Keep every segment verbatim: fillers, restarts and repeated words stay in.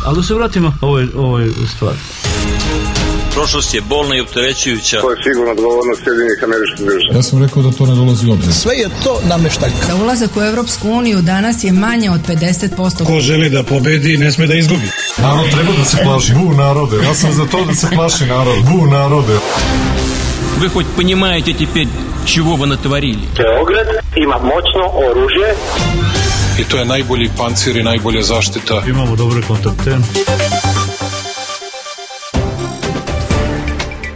Ali da se vratimo ovoj, ovoj stvari. Prošlost je bolna i opterećujuća. To je sigurno odgovornost Sjedinjenih Američkih Država. Ja sam rekao da to ne dolazi u obzir. Sve je to nameštaljka. Za ulazak u Evropsku uniju danas je manje od pedeset posto. Ko želi da pobedi, ne sme da izgubi. Narod treba da se plaši. Bu narode. Ja sam za to da se plaši narod. Bu narode. Вы хоть понимаете теперь, чего вы натворили? Beograd ima moćno oružje. I to je najbolji pancir i najbolja zaštita. Imamo dobre kontakte.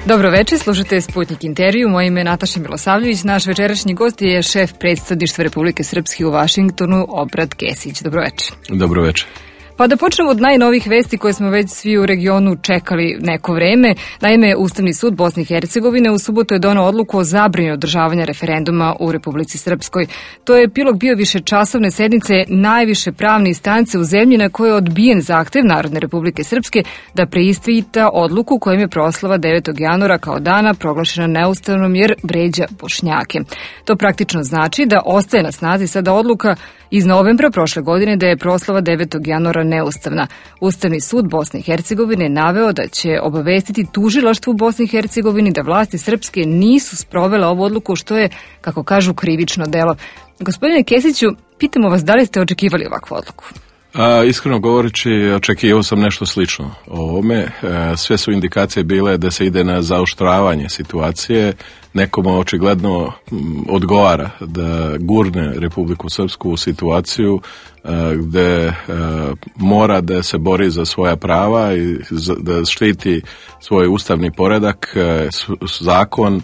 Dobro večer, slušate Sputnik intervju. Moje ime je Nataša Milosavljević. Naš večerašnji gost je šef predstavništva Republike Srpske u Vašingtonu, Obrat Kesić. Dobro večer. Dobro večer. Pa da počnemo od najnovih vesti koje smo već svi u regionu čekali neko vreme. Naime, Ustavni sud Bosne i Hercegovine u subotu je doneo odluku o zabrani održavanja referenduma u Republici Srpskoj. To je epilog bio višečasovne sednice najviše pravne instance u zemlji na kojoj je odbijen zahtev Narodne Republike Srpske da preispita odluku kojim je proslava devetog januara kao dana proglašena neustavnom jer vređa Bošnjake. To praktično znači da ostaje na snazi sada odluka iz novembra prošle godine da je proslava devetog januara neustavna. Ustavni sud Bosne i Hercegovine je naveo da će obavestiti tužilaštvo u Bosni i Hercegovini da vlasti srpske nisu sprovele ovu odluku, što je, kako kažu, krivično delo. Gospodine Kesiću, pitamo vas da li ste očekivali ovakvu odluku? A, iskreno govoreći, očekivao sam nešto slično o ovome. E, sve su indikacije bile da se ide na zaoštravanje situacije. Nekomu očigledno m, odgovara da gurne Republiku Srpsku u situaciju e, gde e, mora da se bori za svoja prava i za, da štiti svoj ustavni poredak, e, s, zakon e,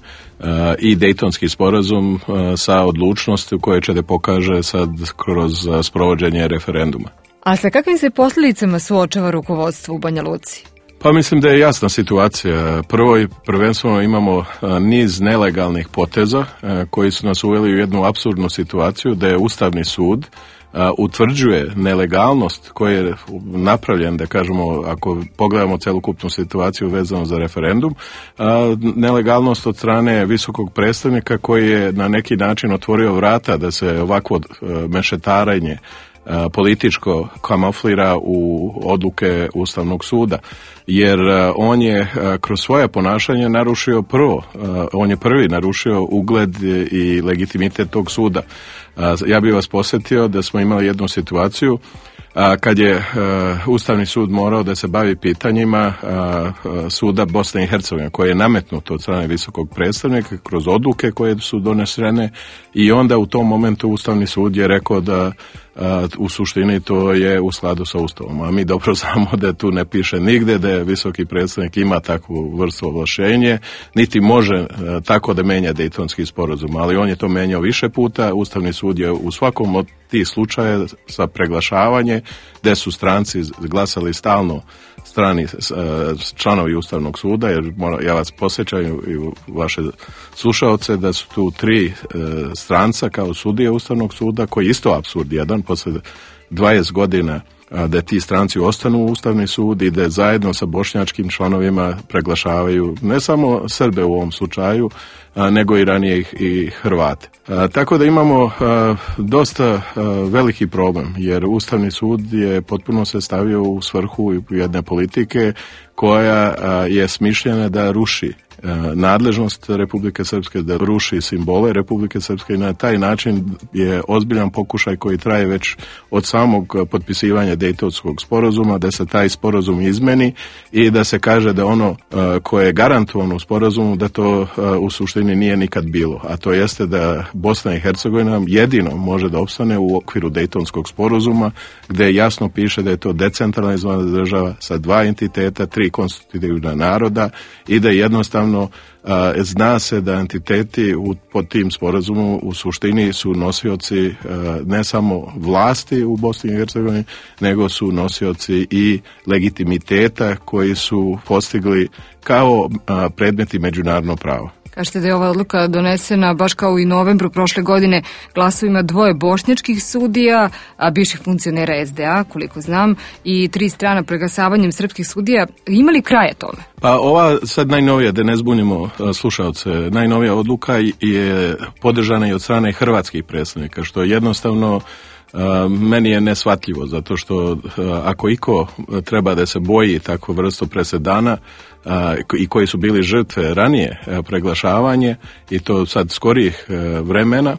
i Dejtonski sporazum e, sa odlučnosti koje će da pokaže sad kroz a, sprovođenje referenduma. A sa kakvim se posljedicama suočava rukovodstvo u Banja Luci? Pa mislim da je jasna situacija. Prvo i prvenstveno imamo niz nelegalnih poteza koji su nas uveli u jednu apsurdnu situaciju da je Ustavni sud utvrđuje nelegalnost koja je napravljen, da kažemo, ako pogledamo celokupnu situaciju vezano za referendum, nelegalnost od strane visokog predstavnika koji je na neki način otvorio vrata da se ovakvo mešetarenje političko kamuflira u odluke Ustavnog suda, jer on je kroz svoje ponašanje narušio prvo, on je prvi narušio ugled i legitimitet tog suda. Ja bih vas posjetio da smo imali jednu situaciju kad je Ustavni sud morao da se bavi pitanjima suda Bosne i Hercegovine, koje je nametnuto od strane visokog predstavnika kroz odluke koje su donesene, i onda u tom momentu Ustavni sud je rekao da u suštini to je u skladu sa Ustavom. A mi dobro znamo da tu ne piše nigde da je visoki predstavnik ima takvu vrstu ovlašćenje, niti može tako da menja Dejtonski sporazum, ali on je to menjao više puta. Ustavni sud je u svakom od tih slučaja sa preglašavanje, gde su stranci glasali stalno strani članovi Ustavnog suda, jer ja vas posjećam i vaše slušaoce da su tu tri e, stranca kao sudije Ustavnog suda, koji isto apsurd jedan, posle dvadeset godina a, da ti stranci ostanu u Ustavni sud i da zajedno sa bošnjačkim članovima preglašavaju ne samo Srbe u ovom slučaju, a, nego i ranije i, i Hrvate. A, tako da imamo a, dosta a, veliki problem, jer Ustavni sud je potpuno se stavio u svrhu jedne politike koja a, je smišljena da ruši nadležnost Republike Srpske, da ruši simbole Republike Srpske, i na taj način je ozbiljan pokušaj koji traje već od samog potpisivanja Dejtonskog sporazuma, da se taj sporazum izmeni i da se kaže da ono koje je garantovano u sporazumu, da to u suštini nije nikad bilo, a to jeste da Bosna i Hercegovina jedino može da opstane u okviru Dejtonskog sporazuma, gde jasno piše da je to decentralizovana država sa dva entiteta, tri konstitutivna naroda, i da jednostavno a, zna se da entiteti u, pod tim sporazumom u suštini su nosioci a, ne samo vlasti u Bosni i Hercegovini, nego su nosioci i legitimiteta koji su postigli kao a, predmeti međunarodnog prava. Kažete da je ova odluka donesena baš kao i novembru prošle godine glasovima dvoje bošnjačkih sudija, a bivših funkcionera es de a, koliko znam, i tri strana preglasavanjem srpskih sudija. Ima li kraja tome? Pa ova sad najnovija, da ne zbunimo slušaoce, najnovija odluka je podržana i od strane hrvatskih predstavnika, što jednostavno meni je neshvatljivo, zato što ako iko treba da se boji takvu vrstu presedana i koji su bili žrtve ranije preglašavanje i to sad skorijih vremena,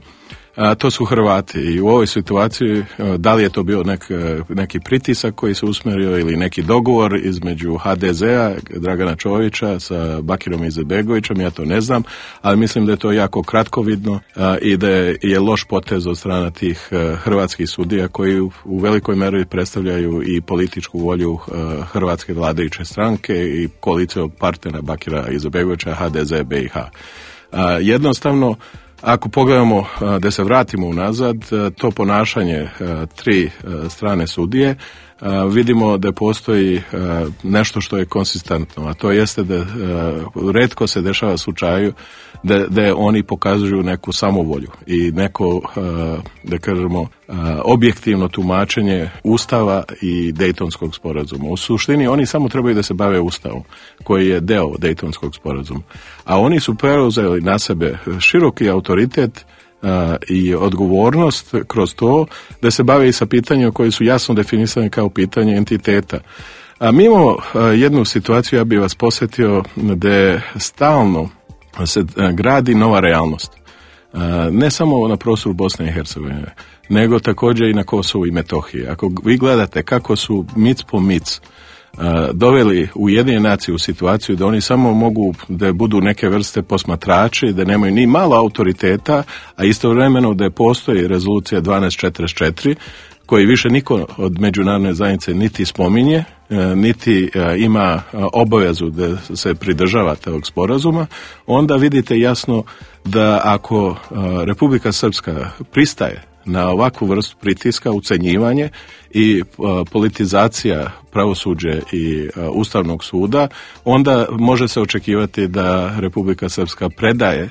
a, to su Hrvati i u ovoj situaciji da li je to bio nek, neki pritisak koji se usmjerio ili neki dogovor između ha de zea, Dragana Čovića sa Bakirom Izetbegovićem, ja to ne znam, ali mislim da je to jako kratkovidno a, i da je, je loš potez od strana tih a, hrvatskih sudija koji u, u velikoj meri predstavljaju i političku volju a, hrvatske vladajuće stranke i koalicijog partnera Bakira Izetbegovića, ha de ze be i ha. A, jednostavno, ako pogledamo da se vratimo unazad, to ponašanje tri strane sudije, vidimo da postoji nešto što je konsistentno, a to jeste da retko se dešava slučaju da, da oni pokazuju neku samovolju i neko, da kažemo, objektivno tumačenje Ustava i Dejtonskog sporazuma. U suštini oni samo trebaju da se bave Ustavom, koji je deo Dejtonskog sporazuma. A oni su preuzeli na sebe široki autoritet i odgovornost kroz to da se bave i sa pitanjima koji su jasno definisani kao pitanje entiteta. A mi imamo jednu situaciju, ja bih vas posjetio, da stalno se gradi nova realnost. Ne samo na prostoru Bosne i Hercegovine, nego također i na Kosovu i Metohiji. Ako vi gledate kako su mic po mic doveli Ujedinjene nacije u situaciju da oni samo mogu da budu neke vrste posmatrači, da nemaju ni malo autoriteta, a istovremeno da postoji rezolucija dvanaest četrdeset četiri, koji više niko od međunarodne zajednice niti spominje, niti ima obavezu da se pridržava tog sporazuma, onda vidite jasno da ako Republika Srpska pristaje na ovakvu vrstu pritiska, ucenjivanje i politizacija pravosuđe i Ustavnog suda, onda može se očekivati da Republika Srpska predaje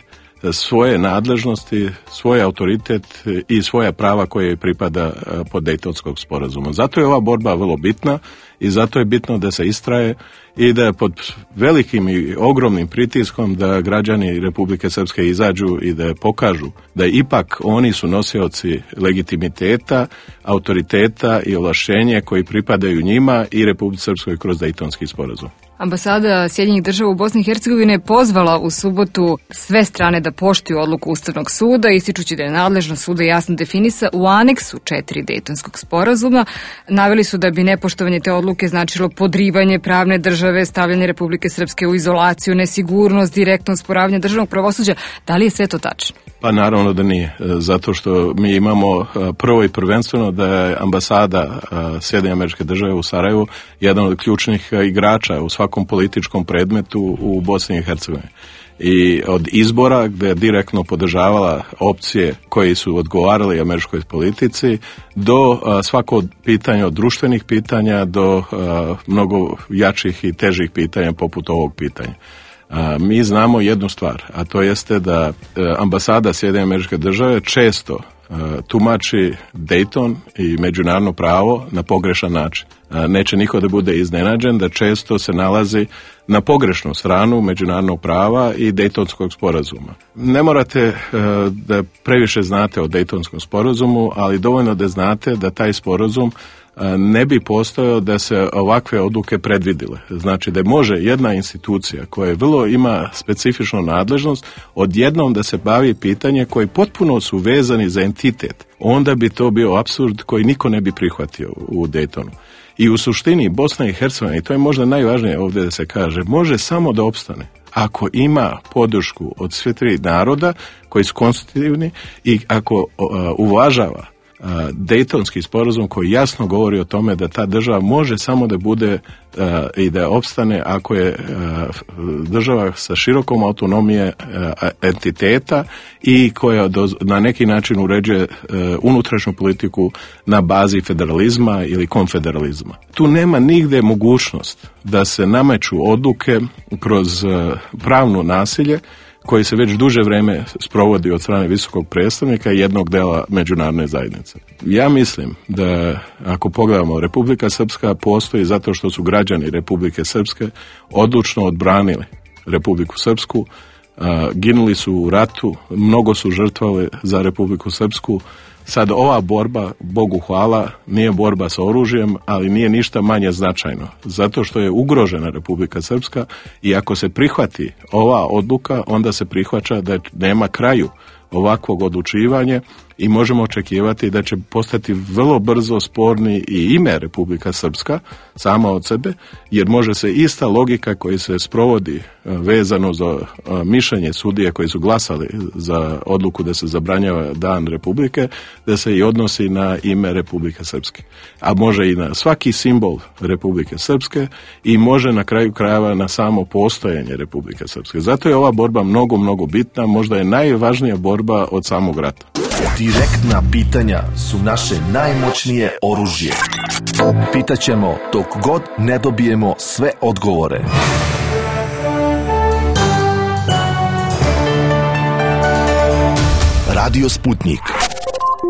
svoje nadležnosti, svoj autoritet i svoja prava koje pripada pod Dejtonskog sporazuma. Zato je ova borba vrlo bitna i zato je bitno da se istraje i da pod velikim i ogromnim pritiskom da građani Republike Srpske izađu i da pokažu da ipak oni su nosioci legitimiteta, autoriteta i ovlašćenja koji pripadaju njima i Republici Srpskoj kroz Dejtonski sporazum. Ambasada Sjedinjenih Država u Bosni i Hercegovini je pozvala u subotu sve strane da poštuju odluku Ustavnog suda, ističući da je nadležnost suda jasno definisa u aneksu četiri Dejtonskog sporazuma. Naveli su da bi nepoštovanje te odluke značilo podrivanje pravne države, stavljanje Republike Srpske u izolaciju, nesigurnost, direktno usporavanje državnog pravosuđa. Da li je sve to tačno? Pa naravno da nije, zato što mi imamo prvo i prvenstveno da je ambasada Sjedinjenih Američkih Država u Sarajevu jedan od ključnih igrača u svakom političkom predmetu u Bosni i Hercegovini. I od izbora gdje je direktno podržavala opcije koji su odgovarali američkoj politici do a, svako pitanja od društvenih pitanja do a, mnogo jačih i težih pitanja poput ovog pitanja. A, mi znamo jednu stvar, a to jeste da a, ambasada Sjedinjenih Američkih Država često a, tumači Dejton i međunarodno pravo na pogrešan način. A, neće niko da bude iznenađen da često se nalazi na pogrešnu stranu međunarodnog prava i Dejtonskog sporazuma. Ne morate uh, da previše znate o Dejtonskom sporazumu, ali dovoljno da znate da taj sporazum uh, ne bi postojao da se ovakve odluke predvidile. Znači da može jedna institucija koja vrlo ima specifičnu nadležnost odjednom da se bavi pitanje koji potpuno su vezani za entitet. Onda bi to bio apsurd koji niko ne bi prihvatio u Dejtonu. I u suštini Bosna i Hercegovina, i to je možda najvažnije ovdje da se kaže, može samo da opstane ako ima podršku od sve tri naroda koji su konstitutivni i ako uh, uvažava uh, Dejtonski sporazum koji jasno govori o tome da ta država može samo da bude uh, i da opstane ako je uh, država sa širokom autonomije uh, entiteta i koja do, na neki način uređuje uh, unutrašnju politiku na bazi federalizma ili konfederalizma. Tu nema nigde mogućnost da se nameću odluke kroz uh, pravno nasilje koji se već duže vreme sprovodi od strane visokog predstavnika i jednog dela međunarodne zajednice. Ja mislim da ako pogledamo, Republika Srpska postoji zato što su građani Republike Srpske odlučno odbranili Republiku Srpsku, uh, ginuli su u ratu, mnogo su žrtvovali za Republiku Srpsku, Sad ova borba, Bogu hvala, nije borba sa oružjem, ali nije ništa manje značajno. Zato što je ugrožena Republika Srpska i ako se prihvati ova odluka, onda se prihvaća da nema kraju ovakvog odlučivanja i možemo očekivati da će postati vrlo brzo sporni i ime Republika Srpska sama od sebe, jer može se ista logika koja se sprovodi vezano za mišljenje sudije koji su glasali za odluku da se zabranjava dan Republike, da se i odnosi na ime Republike Srpske. A može i na svaki simbol Republike Srpske i može na kraju krajeva na samo postojanje Republike Srpske. Zato je ova borba mnogo, mnogo bitna, možda je najvažnija borba od samog rata. Direktna pitanja su naše najmoćnije oružje. Pitaćemo dok god ne dobijemo sve odgovore. Radio Sputnik.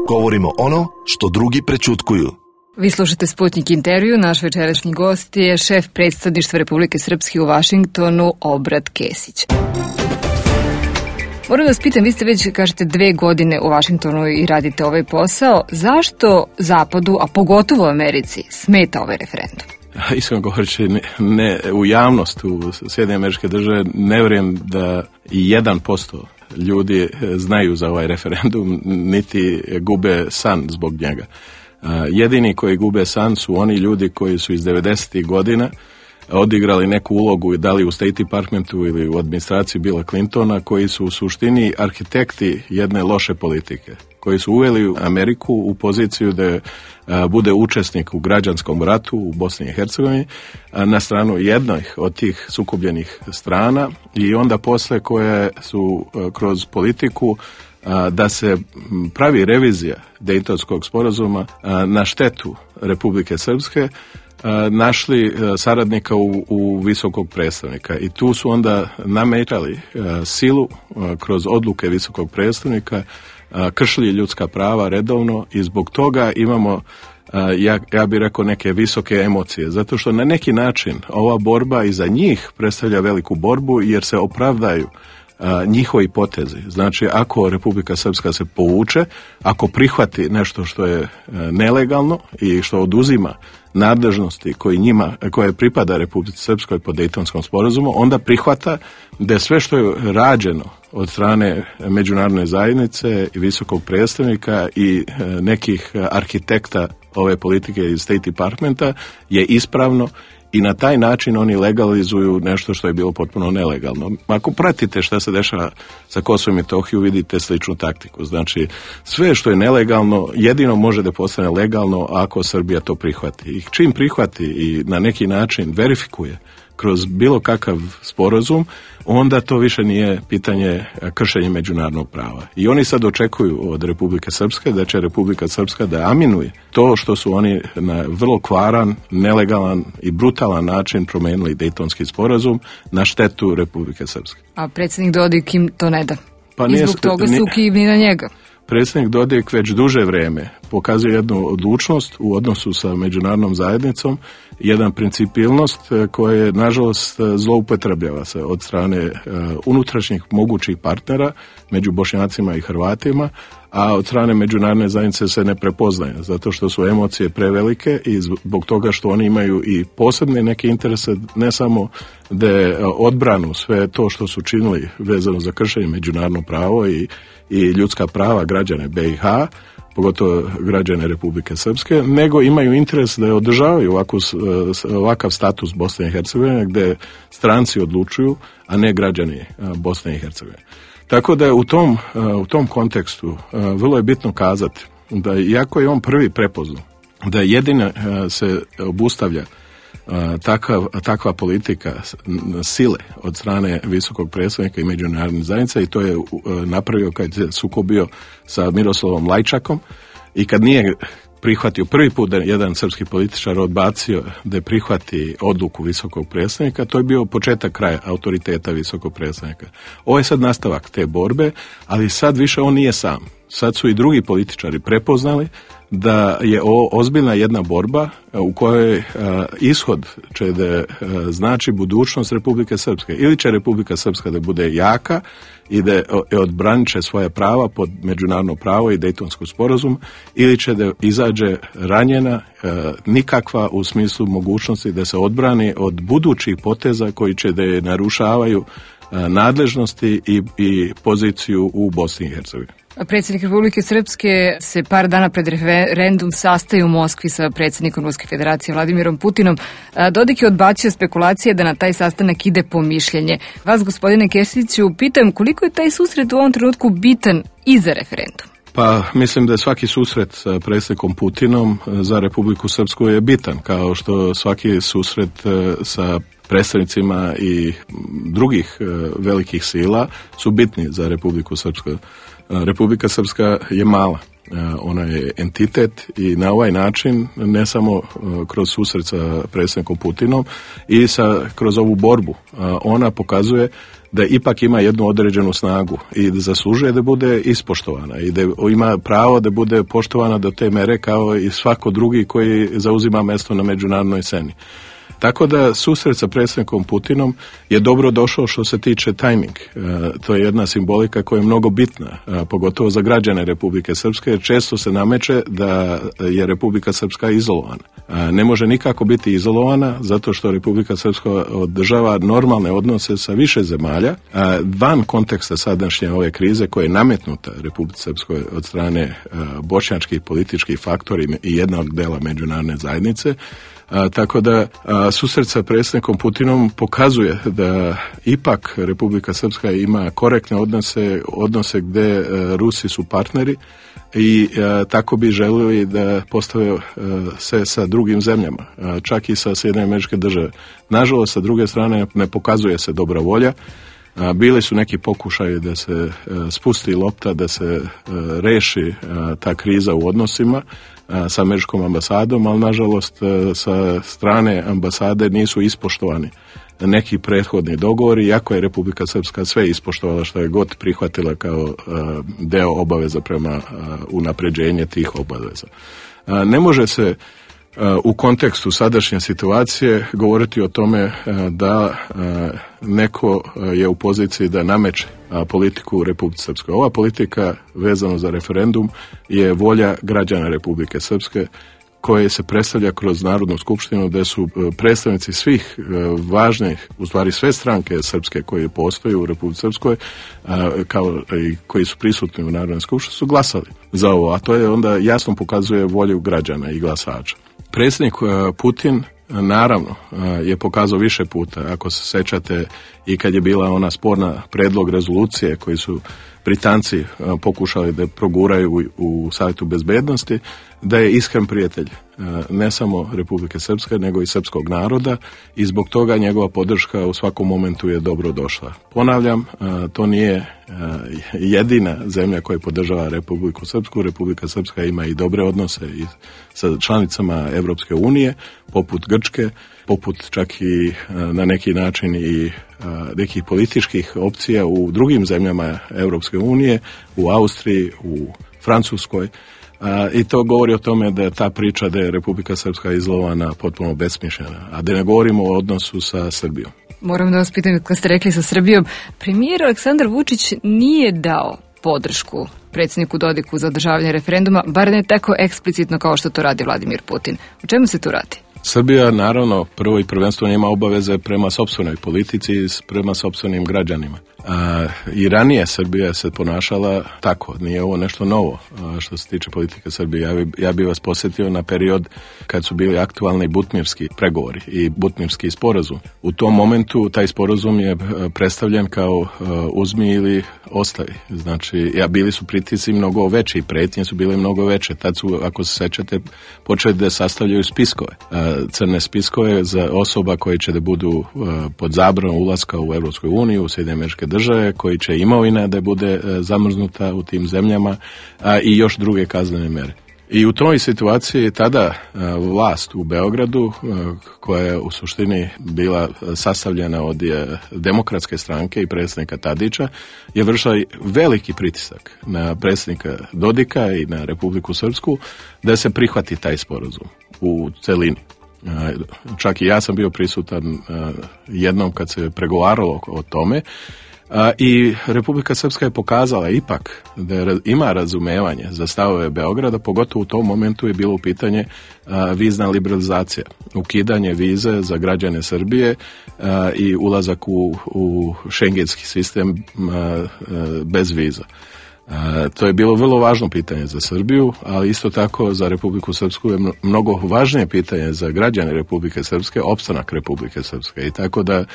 Govorimo ono što drugi prećutkuju. Vi slušate Sputnik intervju, naš večerašnji gost je šef predstavništva Republike Srpske u Vašingtonu, Obrat Kesić. Moram da vas pitam, vi ste već, kažete, dve godine u Vašingtonu i radite ovaj posao. Zašto Zapadu, a pogotovo Americi, smeta ovaj referendum? Iskreno govoreći, ne, ne, u javnost u Sjedinjene Američke Države ne vjerujem da i jedan posto ljudi znaju za ovaj referendum, niti gube san zbog njega. Jedini koji gube san su oni ljudi koji su iz devedesetih godina odigrali neku ulogu, da li u State Departmentu ili u administraciji Billa Clintona, koji su u suštini arhitekti jedne loše politike, koji su uveli Ameriku u poziciju da a, bude učesnik u građanskom ratu u Bosni i Hercegovini na stranu jednih od tih sukobljenih strana i onda posle koje su a, kroz politiku a, da se pravi revizija Dejtonskog sporazuma a, na štetu Republike Srpske, našli saradnika u, u visokog predstavnika i tu su onda nametali silu kroz odluke visokog predstavnika, kršili ljudska prava redovno i zbog toga imamo, ja, ja bih rekao, neke visoke emocije, zato što na neki način ova borba i za njih predstavlja veliku borbu jer se opravdaju a, njihovi potezi. Znači, ako Republika Srpska se povuče, ako prihvati nešto što je a, nelegalno i što oduzima nadležnosti koji njima, koje pripada Republici Srpskoj po Dejtonskom sporazumu, onda prihvata da sve što je rađeno od strane međunarodne zajednice i visokog predstavnika i e, nekih arhitekta ove politike iz State Departmenta je ispravno i na taj način oni legalizuju nešto što je bilo potpuno nelegalno. Ako pratite šta se dešava sa Kosovom i Metohijom, vidite sličnu taktiku. Znači, sve što je nelegalno jedino može da postane legalno ako Srbija to prihvati. I čim prihvati i na neki način verifikuje kroz bilo kakav sporazum, onda to više nije pitanje kršenja međunarodnog prava. I oni sad očekuju od Republike Srpske da će Republika Srpska da aminuje to što su oni na vrlo kvaran, nelegalan i brutalan način promenili Dejtonski sporazum na štetu Republike Srpske. A predsjednik Dodik im to ne da. Pa I zbog toga su kivni na njega. Predsjednik Dodik već duže vrijeme pokazuje jednu odlučnost u odnosu sa međunarodnom zajednicom, jedan principilnost koja je, nažalost, zloupotrebljava se od strane uh, unutrašnjih mogućih partnera među Bošnjacima i Hrvatima, a od strane međunarodne zajednice se ne prepoznaje, zato što su emocije prevelike i zbog toga što oni imaju i posebne neke interese, ne samo da odbranu sve to što su činili vezano za kršenje međunarodnog prava i, i ljudska prava građane B i H, pogotovo građane Republike Srpske, nego imaju interes da održavaju ovakav, ovakav status Bosne i Hercegovine gdje stranci odlučuju, a ne građani Bosne i Hercegovine. Tako da je u tom, u tom kontekstu vrlo je bitno kazati da iako je on prvi prepoznao da jedina se obustavlja takav, takva politika sile od strane visokog predstavnika i međunarodne zajednice, i to je napravio kad se sukobio sa Miroslavom Lajčakom i kad nije prihvatio prvi put da jedan srpski političar odbacio da prihvati odluku visokog predstavnika, to je bio početak kraja autoriteta visokog predstavnika. Ovo je sad nastavak te borbe, ali sad više on nije sam. sad su i drugi političari prepoznali da je ovo ozbiljna jedna borba u kojoj uh, ishod će da uh, znači budućnost Republike Srpske. Ili će Republika Srpska da bude jaka i da odbranit će svoje prava pod međunarodno pravo i Dejtonski sporazum, ili će da izađe ranjena, uh, nikakva u smislu mogućnosti da se odbrani od budućih poteza koji će da je narušavaju uh, nadležnosti i, i poziciju u Bosni i Hercegovini. Predsjednik Republike Srpske se par dana pred referendum sastaje u Moskvi sa predsjednikom Ruske federacije Vladimirom Putinom. Dodik je odbacio spekulacije da na taj sastanak ide po mišljenje. Vas, gospodine Kesiću, pitam koliko je taj susret u ovom trenutku bitan i za referendum? Pa mislim da je svaki susret sa predsjednikom Putinom za Republiku Srpsku je bitan, kao što svaki susret sa predstavnicima i drugih velikih sila su bitni za Republiku Srpsku. Republika Srpska je mala, ona je entitet i na ovaj način, ne samo kroz susret sa predsjednikom Putinom i sa, kroz ovu borbu, ona pokazuje da ipak ima jednu određenu snagu i da zaslužuje da bude ispoštovana i da ima pravo da bude poštovana do te mere kao i svako drugi koji zauzima mjesto na međunarodnoj sceni. Tako da susret sa predsjednikom Putinom je dobro došao što se tiče tajming. E, to je jedna simbolika koja je mnogo bitna, a, pogotovo za građane Republike Srpske, jer često se nameće da je Republika Srpska izolovana. A, ne može nikako biti izolovana zato što Republika Srpska održava normalne odnose sa više zemalja, a, van konteksta sadašnje ove krize koja je nametnuta Republici Srpskoj od strane a, bošnjačkih političkih faktori i jednog dela međunarodne zajednice. A, tako da a, susret sa predsjednikom Putinom pokazuje da ipak Republika Srpska ima korektne odnose, odnose gdje a, Rusi su partneri i a, tako bi željeli da postave a, se sa drugim zemljama, a, čak i sa Sjedinjenim Američke Države. Nažalost, sa druge strane ne pokazuje se dobra volja. A, bili su neki pokušaji da se a, spusti lopta, da se a, reši a, ta kriza u odnosima sa američkom ambasadom, ali nažalost sa strane ambasade nisu ispoštovani neki prethodni dogovori, iako je Republika Srpska sve ispoštovala što je god prihvatila kao deo obaveza prema unapređenje tih obaveza. Ne može se u kontekstu sadašnje situacije govoriti o tome da neko je u poziciji da nameće politiku u Republici Srpskoj. Ova politika vezano za referendum je volja građana Republike Srpske koje se predstavlja kroz Narodnu skupštinu, gdje su predstavnici svih važnih, u stvari sve stranke srpske koje postoje u Republici Srpskoj, kao i koji su prisutni u Narodnoj skupštini, su glasali za ovo, a to je onda jasno pokazuje volju građana i glasača. Predsjednik Putin naravno je pokazao više puta, ako se sećate i kad je bila ona sporna predlog rezolucije koji su Britanci pokušali da proguraju u, u Savjetu bezbednosti, da je iskren prijatelj ne samo Republike Srpske, nego i srpskog naroda i zbog toga njegova podrška u svakom momentu je dobro došla. Ponavljam, to nije jedina zemlja koja podržava Republiku Srpsku. Republika Srpska ima i dobre odnose i sa članicama Evropske unije, poput Grčke, poput čak i na neki način i nekih političkih opcija u drugim zemljama Evropske unije, u Austriji, u Francuskoj. A, i to govori o tome da je ta priča da je Republika Srpska izlovana potpuno besmišljena, a da ne govorimo o odnosu sa Srbijom. Moram da vas pitam, kad ste rekli sa Srbijom, premijer Aleksandar Vučić nije dao podršku predsjedniku Dodiku za održavanje referenduma, bar ne tako eksplicitno kao što to radi Vladimir Putin. O čemu se tu radi? Srbija, naravno, prvo i prvenstveno ima obaveze prema sopstvenoj politici i prema sopstvenim građanima. A, I ranije Srbija se ponašala tako, nije ovo nešto novo a, što se tiče politike Srbije. Ja bi, ja bi vas posjetio na period kad su bili aktualni butmirski pregovori i butmirski sporazum. U tom momentu taj sporazum je predstavljen kao a, uzmi ili ostavi. Znači, ja, bili su pritisci mnogo veći i pretnje su bile mnogo veće. Tad su, ako se sećate, počeli da sastavljaju spiskove. A, crne spiskove za osoba koji će da budu a, pod zabranom ulaska u Evropsku uniju, u Sjedinjene Američke Države, koji će imovina da bude e, zamrznuta u tim zemljama, a i još druge kaznene mere. I u toj situaciji tada vlast u Beogradu, koja je u suštini bila sastavljena od Demokratske stranke i predsjednika Tadića, je vršila veliki pritisak na predsjednika Dodika i na Republiku Srpsku da se prihvati taj sporazum u celini. Čak i ja sam bio prisutan jednom kad se pregovaralo o tome. I Republika Srpska je pokazala ipak da ima razumevanje za stavove Beograda, pogotovo u tom momentu je bilo u pitanje vizna liberalizacija, ukidanje vize za građane Srbije i ulazak u, u šengenski sistem bez viza. E, to je bilo vrlo važno pitanje za Srbiju, ali isto tako za Republiku Srpsku je mnogo važnije pitanje za građane Republike Srpske, opstanak Republike Srpske. I tako da e,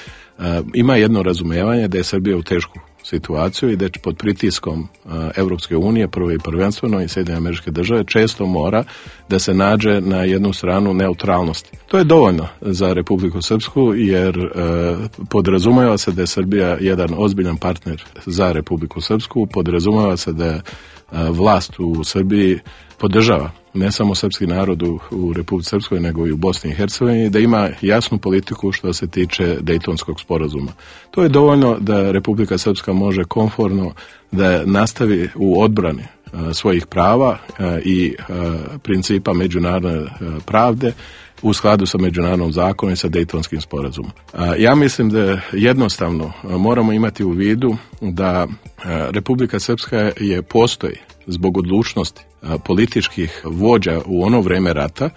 ima jedno razumijevanje da je Srbija u tešku situaciju i da pod pritiskom e, Evropske unije, prvo i prvenstveno i Sjedinjene Američke Države, često mora da se nađe na jednu stranu neutralnosti. To je dovoljno za Republiku Srpsku jer e, podrazumijeva se da je Srbija jedan ozbiljan partner za Republiku Srpsku, podrazumijeva se da je vlast u Srbiji podržava ne samo srpski narod u, u Republici Srpskoj, nego i u Bosni i Hercegovini, da ima jasnu politiku što se tiče Dejtonskog sporazuma. To je dovoljno da Republika Srpska može komforno da nastavi u odbrani a, svojih prava a, i a, principa međunarodne a, pravde u skladu sa međunarodnom zakonom i sa Dejtonskim sporazumom. A, ja mislim da jednostavno a, moramo imati u vidu da a, Republika Srpska je postoji zbog odlučnosti a, političkih vođa u ono vreme rata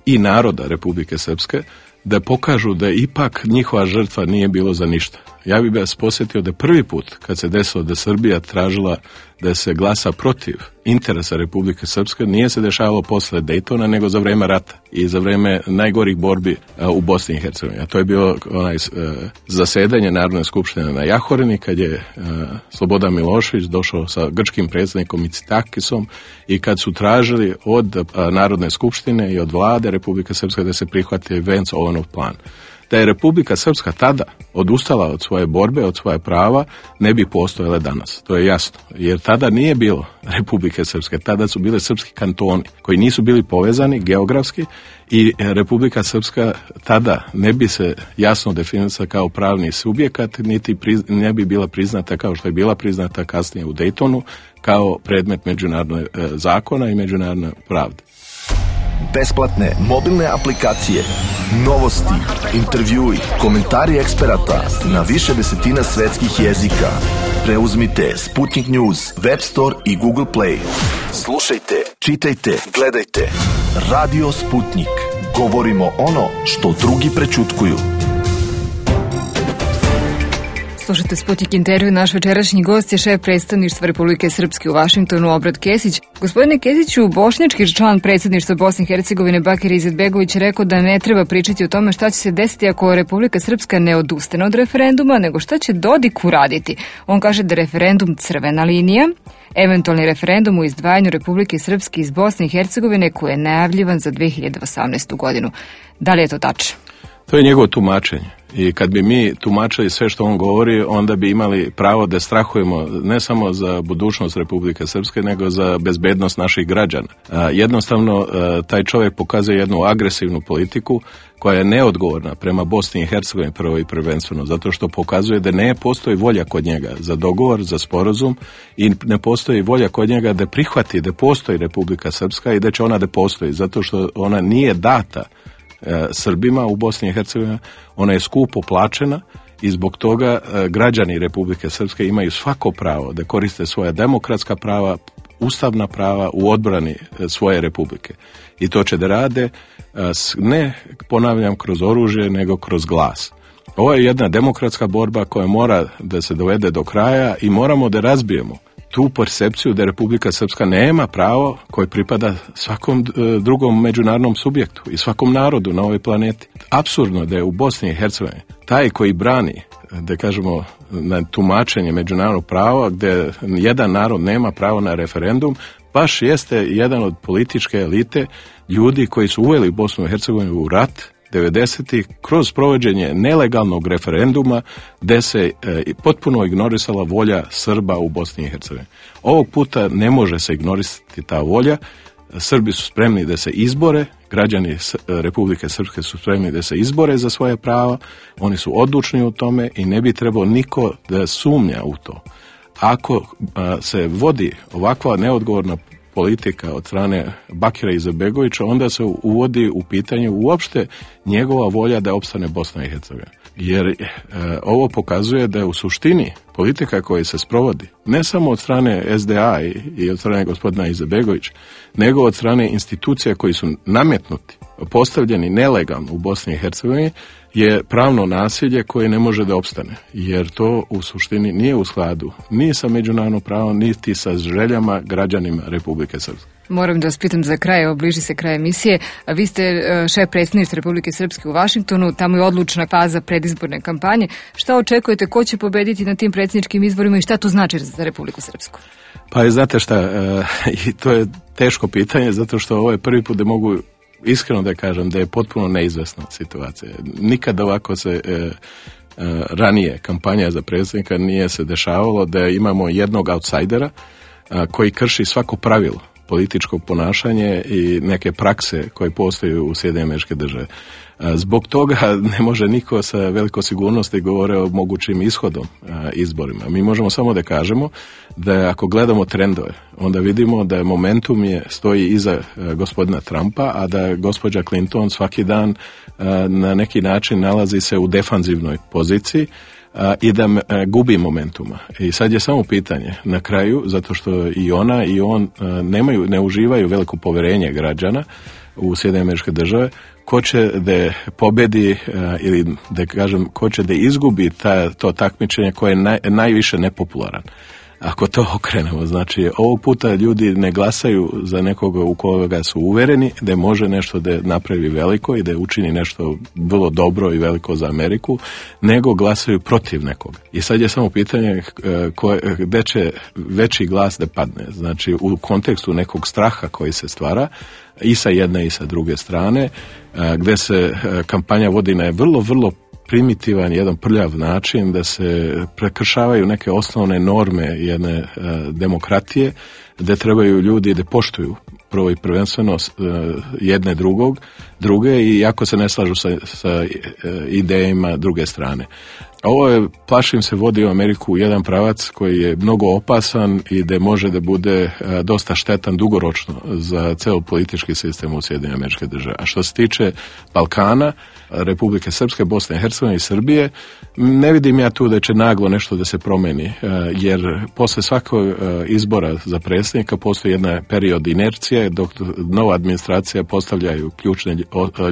i naroda Republike Srpske da pokažu da ipak njihova žrtva nije bilo za ništa. Ja bih vas posjetio da prvi put kad se desilo da Srbija tražila da se glasa protiv interesa Republike Srpske, nije se dešavalo posle Dejtona, nego za vreme rata i za vreme najgorih borbi a, u Bosni i Hercegovini. A to je bilo onaj a, zasedanje Narodne skupštine na Jahorini, kad je a, Slobodan Milošević došao sa grčkim predsjednikom Mitsitakisom i kad su tražili od a, Narodne skupštine i od vlade Republike Srpske da se prihvati Vance-Owenov plan. Da je Republika Srpska tada odustala od svoje borbe, od svoje prava, ne bi postojale danas. To je jasno. Jer tada nije bilo Republike Srpske. Tada su bile srpski kantoni koji nisu bili povezani geografski i Republika Srpska tada ne bi se jasno definisala kao pravni subjekat, niti priz, ne bi bila priznata kao što je bila priznata kasnije u Dejtonu kao predmet međunarodnog e, zakona i međunarodne pravde. Besplatne mobilne aplikacije, novosti, intervjui, komentari eksperata na više desetina svetskih jezika. Preuzmite Sputnik News, Web Store i Google Play. Slušajte, čitajte, gledajte. Radio Sputnik. Govorimo ono što drugi prećutkuju. Slušajte Sputnik intervju, naš večerašnji gost je šef predstavništva Republike Srpske u Vašingtonu, Obrad Kesić. Gospodine Kesiću, bošnjački član predstavništva Bosne i Hercegovine Bakir Izetbegović rekao da ne treba pričati o tome šta će se desiti ako Republika Srpska ne odustane od referenduma, nego šta će Dodik uraditi. On kaže da je referendum crvena linija, eventualni referendum u izdvajanju Republike Srpske iz Bosne i Hercegovine koji je najavljivan za dve hiljade osamnaestu. godinu. Da li je to tačno? To je njegovo tumačenje. I kad bi mi tumačili sve što on govori, onda bi imali pravo da strahujemo ne samo za budućnost Republike Srpske, nego za bezbednost naših građana. A, jednostavno, a, taj čovjek pokazuje jednu agresivnu politiku koja je neodgovorna prema Bosni i Hercegovini prvo i prvenstveno, zato što pokazuje da ne postoji volja kod njega za dogovor, za sporazum i ne postoji volja kod njega da prihvati da postoji Republika Srpska i da će ona da postoji, zato što ona nije data Srbima u Bosni i Hercegovini, ona je skupo plaćena i zbog toga građani Republike Srpske imaju svako pravo da koriste svoja demokratska prava, ustavna prava u odbrani svoje republike. I to će da rade ne, ponavljam, kroz oružje, nego kroz glas. Ovo je jedna demokratska borba koja mora da se dovede do kraja i moramo da razbijemo tu percepciju da Republika Srpska nema pravo koje pripada svakom drugom međunarodnom subjektu i svakom narodu na ovoj planeti. Apsurdno da je u Bosni i Hercegovini taj koji brani, da kažemo, na tumačenje međunarodnog prava gdje jedan narod nema pravo na referendum, baš jeste jedan od političke elite ljudi koji su uveli Bosnu i Hercegovinu u rat devedesetih kroz provođenje nelegalnog referenduma gde se e, potpuno ignorisala volja Srba u Bosni i Hercegovini. Ovog puta ne može se ignorisati ta volja. Srbi su spremni da se izbore, građani Republike Srpske su spremni da se izbore za svoje prava, oni su odlučni u tome i ne bi trebao niko da sumnja u to. Ako a, se vodi ovakva neodgovorna politika od strane Bakira Izetbegovića, onda se uvodi u pitanje uopšte njegova volja da opstane Bosna i Hercegovina. Jer e, ovo pokazuje da je u suštini politika koja se sprovodi, ne samo od strane S D A i, i od strane gospodina Izetbegovića, nego od strane institucija koji su nametnuti, postavljeni nelegalno u Bosni i Hercegovini, je pravno nasilje koje ne može da opstane, jer to u suštini nije u skladu ni sa međunarodnim pravom, niti sa željama građanima Republike Srpske. Moram da vas pitam za kraj, evo bliži se kraj emisije. Vi ste šef predsjedništva Republike Srpske u Vašingtonu, tamo je odlučna faza predizborne kampanje. Šta očekujete, ko će pobediti na tim predsjedničkim izborima i šta to znači za Republiku Srpsku? Pa znate šta, e, i to je teško pitanje, zato što ovo je prvi put da mogu iskreno da kažem da je potpuno neizvesna situacija. Nikad ovako se e, e, ranije kampanja za predsjednika nije se dešavalo da imamo jednog outsidera a, koji krši svako pravilo političko ponašanje i neke prakse koje postoje u Sjedinjenim Američkim Državama. Zbog toga ne može niko sa veliko sigurnosti govore o mogućim ishodom a, izborima. Mi možemo samo da kažemo da ako gledamo trendove, onda vidimo da je momentum je stoji iza a, gospodina Trumpa, a da gospođa Clinton svaki dan a, na neki način nalazi se u defanzivnoj poziciji a, i da a, gubi momentuma. I sad je samo pitanje na kraju, zato što i ona i on a, nemaju, ne uživaju veliko poverenje građana u Sjedinjene Američke Države, ko će da pobedi uh, ili da kažem ko će da izgubi ta, to takmičenje koje je naj, najviše nepopularan. Ako to okrenemo, znači ovog puta ljudi ne glasaju za nekoga u koga su uvereni da može nešto da napravi veliko i da učini nešto vrlo dobro i veliko za Ameriku, nego glasaju protiv nekoga. I sad je samo pitanje uh, ko, gde će veći glas da padne. Znači u kontekstu nekog straha koji se stvara i sa jedne i sa druge strane, gde se kampanja vodi na vrlo, vrlo primitivan, jedan prljav način, da se prekršavaju neke osnovne norme jedne demokratije, gde trebaju ljudi da poštuju prvo i prvenstveno jedne drugog, druge i ako se ne slažu sa, sa idejama druge strane. Ovo je, plašim se, vodi u Ameriku u jedan pravac koji je mnogo opasan i da može da bude dosta štetan dugoročno za ceo politički sistem u Sjedinjenim Američke Države. A što se tiče Balkana, Republike Srpske, Bosne i Hercegovine i Srbije, ne vidim ja tu da će naglo nešto da se promeni, jer posle svakog izbora za predsjednika postoji jedna period inercije dok nova administracija postavljaju ključne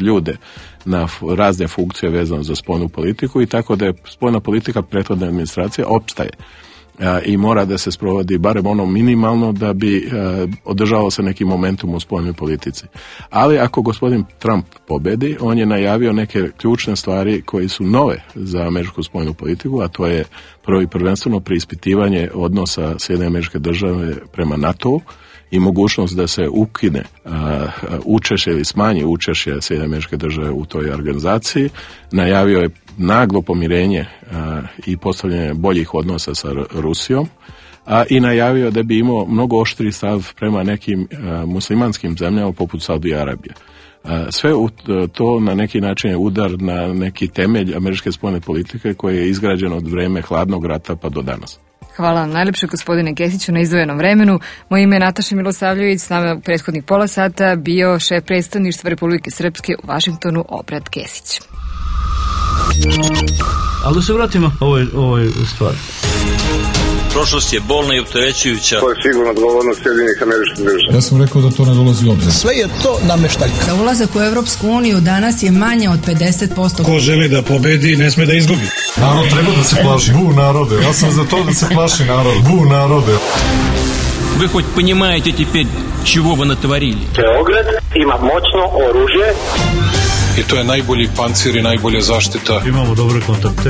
ljude na razne funkcije vezano za spoljnu politiku i tako da je spoljna politika prethodne administracije opstaje i mora da se sprovodi barem ono minimalno da bi održavao se neki momentum u spoljnoj politici. Ali ako gospodin Trump pobedi, on je najavio neke ključne stvari koje su nove za američku spoljnu politiku, a to je prvo i prvenstveno preispitivanje odnosa Sjedinjene Američke Države prema NATO-u i mogućnost da se ukine učešće ili smanji učešće Sjedinjene Američke Države u toj organizaciji. Najavio je naglo pomirenje a, i postavljanje boljih odnosa sa Rusijom, a i najavio da bi imao mnogo oštri stav prema nekim a, muslimanskim zemljama poput Saudijske Arabije. A, sve u, to na neki način je udar na neki temelj američke spoljne politike koji je izgrađen od vreme hladnog rata pa do danas. Hvala vam najlepše, gospodine Kesiću, na izdvojenom vremenu. Moje ime je Nataša Milosavljević, s nama u prethodnih pola sata bio šef predstavništva Republike Srpske u Vašingtonu, Obrat Kesić. Ali da se vratimo ovoj, ovoj stvari. Prošlost je bolna i opterećujuća. To je sigurno odgovornost Sjedinjenih Američkih Država. Ja sam rekao da to ne dolazi u obzir. Sve je to nameštaljka. Za ulazak u Evropsku uniju danas je manje od pedeset posto. Ko želi da pobedi, ne sme da izgubi. Narod treba da se plaši. Bu narode. Ja sam za to da se plaši narod. Bu narode. Вы хоть понимаете теперь, чего вы натворили? Beograd ima moćno oružje. I to je najbolji pancir i najbolja zaštita. Imamo dobre kontakte.